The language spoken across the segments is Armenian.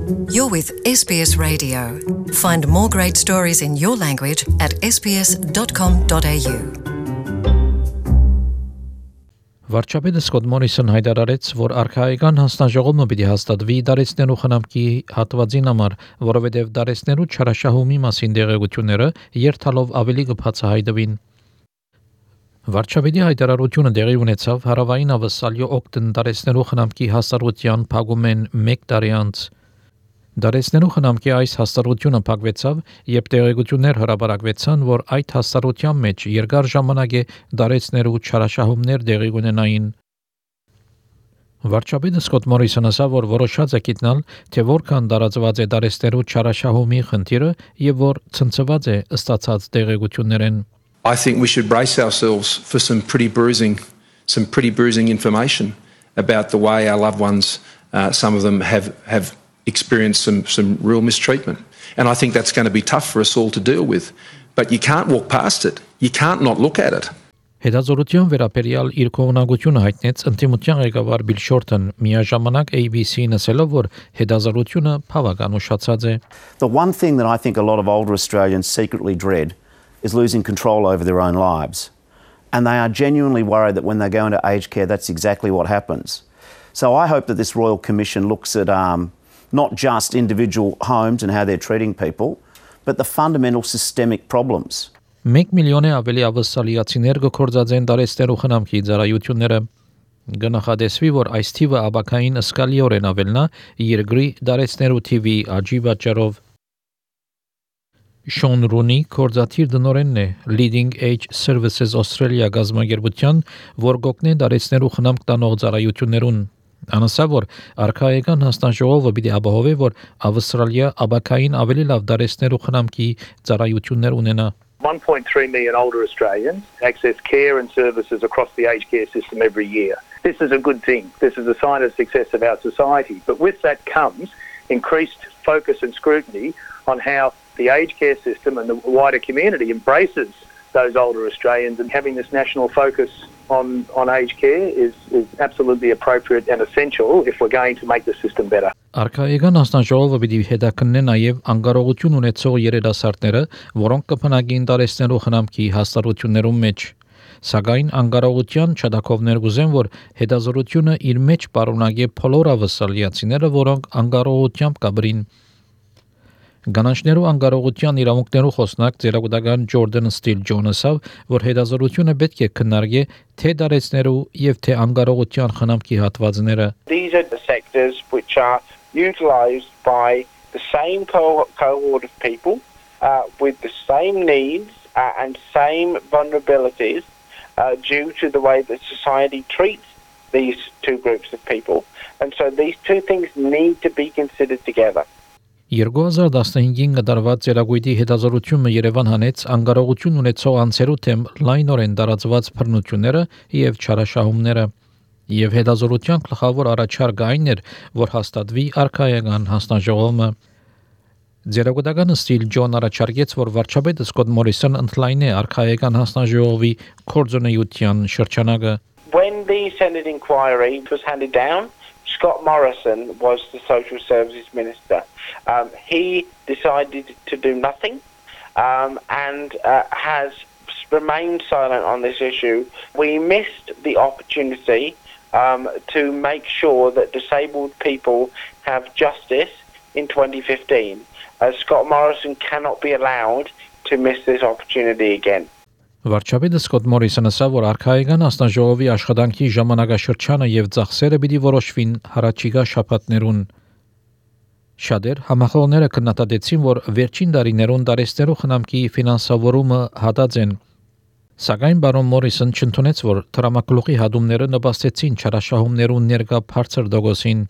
You're with SBS Radio. Find more great stories in your language at sbs.com.au. Վարչապետը Սկոտ Մորիսոն հայտարարեց, որ արքայական հանձնաժողովը պիտի հաստատվի դարեցնելու խնամքի հատվածին համար, որովհետև դարեցնելու չարաշահումի մասին դեղեցությունները երթալով ավելի կբացահայտվին։ Վարչապետի հայտարարությունը տեղի ունեցավ հարավային ավսալյո օկտեն դարեցնելու խնամքի հաստատության փակումեն 1 տարի անց։ Դարեցնելու խնամքի այս հաստատությունը փակվեցավ, երբ տեղեկություններ հրապարակվեցան, որ այդ հաստատության մեջ երկար ժամանակ է դարեցնելու չարաշահումներ տեղի ունենային։ Վարչապետը Սկոտ Մորիսոնը ասավ, որ որոշած է գտնել, թե որքան տարածված է դարեցնելու չարաշահումի խնդիրը եւ որ ցնցված է ստացած տեղեկություններեն։ I think we should brace ourselves for some pretty bruising information about the way our loved ones, some of them have experienced some real mistreatment. And I think that's going to be tough for us all to deal with. But you can't walk past it. You can't not look at it. Հետազոտության վերաբերյալ իր կողմնակությունը հայտնեց ընդդիմության ղեկավար Բիլ Շորթն միաժամանակ ABC-ին ասելով, որ հետազոտությունը բավական ուշացած է։ The one thing that I think a lot of older Australians secretly dread is losing control over their own lives. And they are genuinely worried that when they go into aged care, that's exactly what happens. So I hope that this Royal Commission looks at not just individual homes and how they're treating people, but the fundamental systemic problems. 1 միլիոնի ավելի ավսալիացիներ կորցածեն դարեցնելու խնամքի ծառայությունները։ Գնահատեսվի, որ այս թիվը աբակային սկալիորեն ավելնա երկրի դարեցնելու թիվի աճի պատճառով։ Շոն Ռունի կորզաթիր դնորենն է Leading Age Services Australia գազագերբության, որ գոգնե դարեցնելու խնամք տանող ծառայություններուն։ Անասա, որ արքայական հանձնաժողովը պիտի ապահովի, որ Ավստրալիա աբակային ավելի լավ դարեցնելու խնամքի ծառայություններ ունենա։ 1.3 million older Australians access care and services across the aged care system every year. This is a good thing. This is a sign of success of our society. But with that comes increased focus and scrutiny on how the aged care system and the wider community embraces those older Australians, and having this national focus on aged care is absolutely appropriate and essential if we're going to make the system better. Արքայական հանձնաժողովը պիտի հետաքննի նաև անկարողություն ունեցող երիտասարդները, որոնք կփնակին դարեցնելու խնամքի հաստատություններում մեջ։ Սակայն անկարողության չդակովներ գուզեն, որ հետազոտությունը իր մեջ պարունակի բոլոր ավսալիացիները, որոնք անկարողությամբ կաբրին։ Գանանչներու անկարողության իրավունքներու խոսնակ ծերագուտական Ջորդան Ստիլ Ջոնսը, որ հետազոտությունը պետք է քննարկի թե դարեցներու եւ թե անկարողության խնամքի հատվածները։ These are the sectors which are utilised by the same cohort of people with the same needs and same vulnerabilities due to the way that society treats these two groups of people. And so these two things need to be considered together. 2015-ին կատարված ծերագույտի հետազոտությունը Երևան հանեց անկարողություն ունեցող անձերու թեմ լայնորեն տարածված բռնությունները եւ չարաշահումները, եւ հետազոտության գլխավոր առաջարկը այն էր, որ հաստատվի արքայական հանձնաժողովը։ Ձերագուտական Ստիլ Ջոն առաջարկեց, որ վարչապետը Սկոտ Մորիսոն ընդլայնի արքայական հանձնաժողովի կորձունեության շրջանակը։ When the Senate inquiry was handed down, Scott Morrison was the Social Services Minister. He decided to do nothing and has remained silent on this issue. We missed the opportunity to make sure that disabled people have justice in 2015. Scott Morrison cannot be allowed to miss this opportunity again. Վարչապետը Սկոտ Մորիսոնը ասավ, որ արքայական հանձնաժողովի աշխատանքի ժամանակաշրջանը եւ ծախսերը պիտի որոշվին հարաճիգա շաբաթներուն։ Շատեր համախոհները քննադատեցին, որ վերջին տարիներուն դարեցնելու խնամքի ֆինանսավորումը հատած են։ Սակայն բարոն Մորիսոն չընդունեց, որ տրամագլուխի հատումները նպաստեցին չարաշահումներուն ներկա բարձր դոգոսին։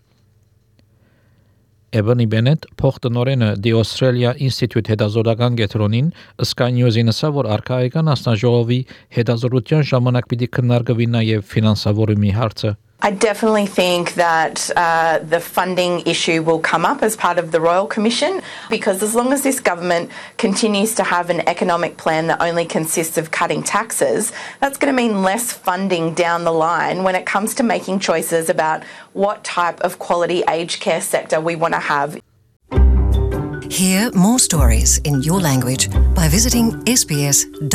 Ebony Bennett, փոխտնօրենը The Australia Institute հետազոտական կենտրոնին Sky News-ին ասավ, որ արքայական հանձնաժողովի հետազոտության ժամանակ պիտի քննարկվի նաև ֆինանսավորումի հարցը։ I definitely think that the funding issue will come up as part of the Royal Commission, because as long as this government continues to have an economic plan that only consists of cutting taxes, that's going to mean less funding down the line when it comes to making choices about what type of quality aged care sector we want to have. Hear more stories in your language by visiting sbs.com.au.